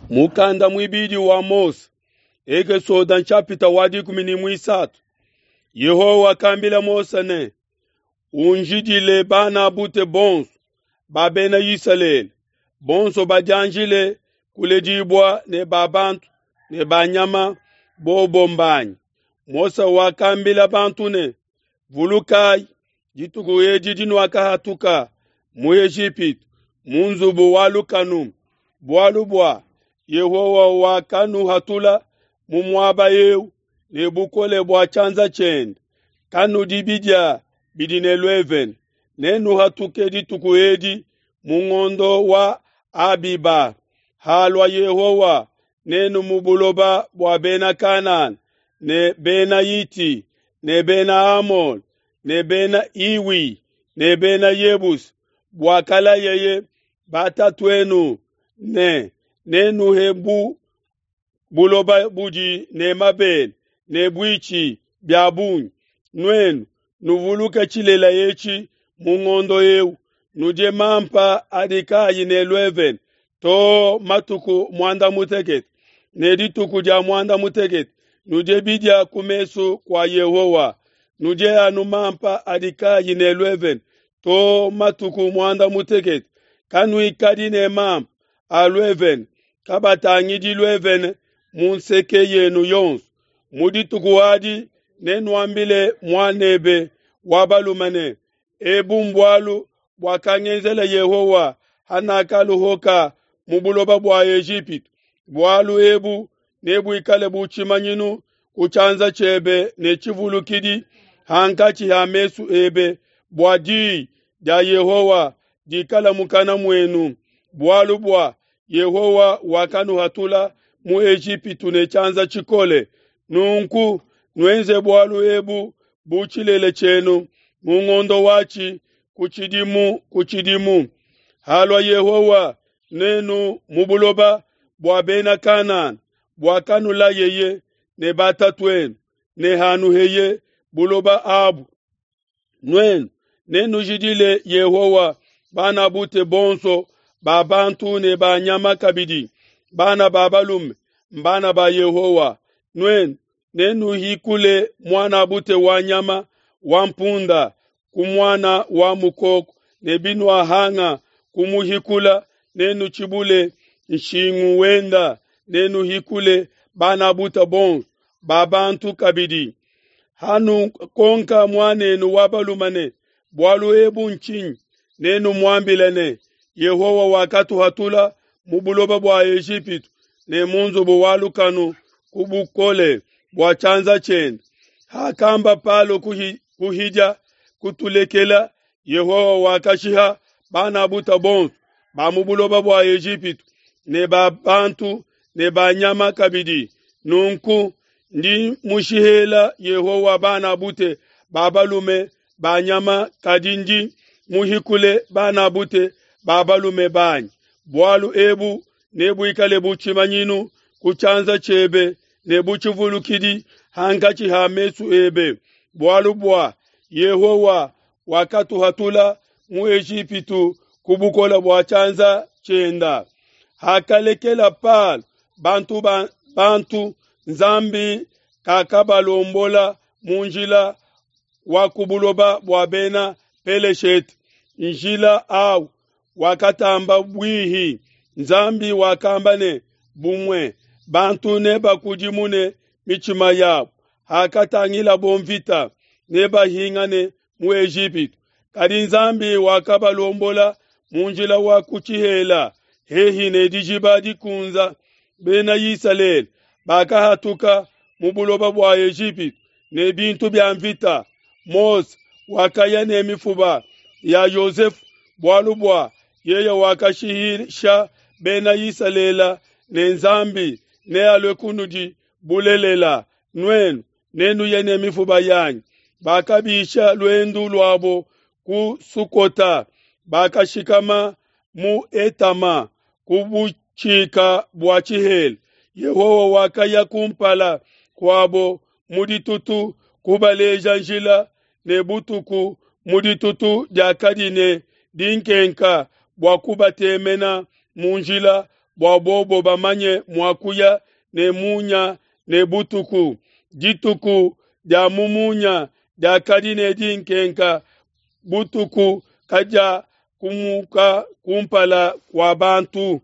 Mukanda muibidi wa Mose, Ekesode nshapita wa 13. Yehowa wakambila Mose ne, Unjidile bana bute bonso ba bena Isalele, bonso badianjile kuledibua ne ba bantu ne ba nyama, bobo mbanyi. Mose wakambila bantu ne, Vulukayi dituku edi dinuakahatuka mu Ejipitu, mu nzubu wa lukanu, bualu bua Yehowa wakanuhatula mu muaba eu ne bukole bua tshianza tshiende. Kanudi bidia bidi ne luevene, nenuhatuke dituku edi mu ngondo wa Abiba. Halua Yehowa nenu mu buloba bua bena Kanana ne bena Hiti ne bena Amole ne bena Hiwi ne bena Yebusi, buakalayeye batatuenu ne nenuhe bu buloba budi ne mabele ne buitshi bia bungi. Nuenu nuvuluke tshilela etshi mu ngondo eu, nudie mampa adi kaayi ne luevene too matuku muanda mutekete, ne dituku dia muanda mutekete nudie bidia ku mesu kua Yehowa. Nudie anu mampa adi kaayi ne luevene too matuku muanda mutekete. Kanuikadi ne mampa a luevene, kabatangidi luevene mu nseke yenu yonso. Mu dituku adi nenuambile muanebe wa balume ne, Ebu mbualu buakangenzela Yehowa hanakaluhuka mu buloba bua Ejipitu. Bualu ebu nebuikale bu tshimanyinu ku tshianza tshiebe ne tshivulukidi hankatshi ha mesu ebe, bua diyi dia Yehowa dikala mukana muenu. Bualu bua Yehowa wakanuhatula mu Ejipitu ne tshianza tshikole. Nunku nuenze bualu ebu bu tshilele tshienu mu ngondo watshi ku tshidimu ku tshidimu. Halua Yehowa nenu mu buloba bua bena Kanana buakanulayeye ne batatuenu, ne hanuheye buloba abu, nuenu nenujidile Yehowa bana bute bonso ba bantu ne ba nyama kabidi. Bana ba balume mbana ba Yehowa. Nuenu nenuhikule muana bute wa nyama wa mpunda ku muana wa mukoko, ne binuahanga kumuhikula, nenutshibule nshingu wenda, nenuhikule bana bute bonso ba bantu kabidi. Hanukonka muanenu wa balume ne, bualu ebu ntshinyi? Nenumuambile ne, Yehowa wakatuhatula mu buloba bua Ejipitu ne mu nzubu wa lukanu ku bukole bua tshianza tshiende. Hakamba Palo kuhidia kutulekela, Yehowa wakashiha bana buta bonso ba mu buloba bua Ejipitu ne ba bantu ne ba nyama kabidi. Nunku ndi mushihela Yehowa bana bute ba balume ba nyama, kadi ndi muhikule bana bute ba balume banyi. Bualu ebu nebuikale bu tshimanyinu ku tshianza tshiebe ne bu tshivulukidi hankatshi ha mesu ebe, bualu bua Yehowa wakatuhatula mu Ejipitu ku bukole bua tshianza tshienda. Hakalekela Palo bantu bantu, Nzambi kakabalombola mu njila wa ku buloba bua bena Peleshete. Njila au wakatamba bwihi. Nzambi wakamba ne, bumue bantu nebakudimune mitshima yabo hakatangilabo mvita, nebahingane mu Ejipitu. Kadi Nzambi wakabalombola mu njila wa ku tshihela hehi ne dijiba dikunza. Bena Isalele bakahatuka mu buloba bua Ejipitu ne bintu bia mvita. Mose wakaya ne mifuba ya Yosefu, bualu bua yeye wakashihisha bena Isalele ne Nzambi nealue kunudi bulelela, nuenu nenuye ne mifuba yanyi. Bakabisha luendu luabo ku Sukota, bakashikama mu Etama ku butshika bua tshihela. Yehowa wakaya kumpala kuabo mu ditutu kubaleja njila, ne butuku mu ditutu diakadi ne dinkenka bua kubatemena mu njila. bua bobo bamanye mua kuya ne munya ne butuku. Dituku dia mu munya diakadi ne dinkenka, butuku kadiakumuka kumpala kua bantu.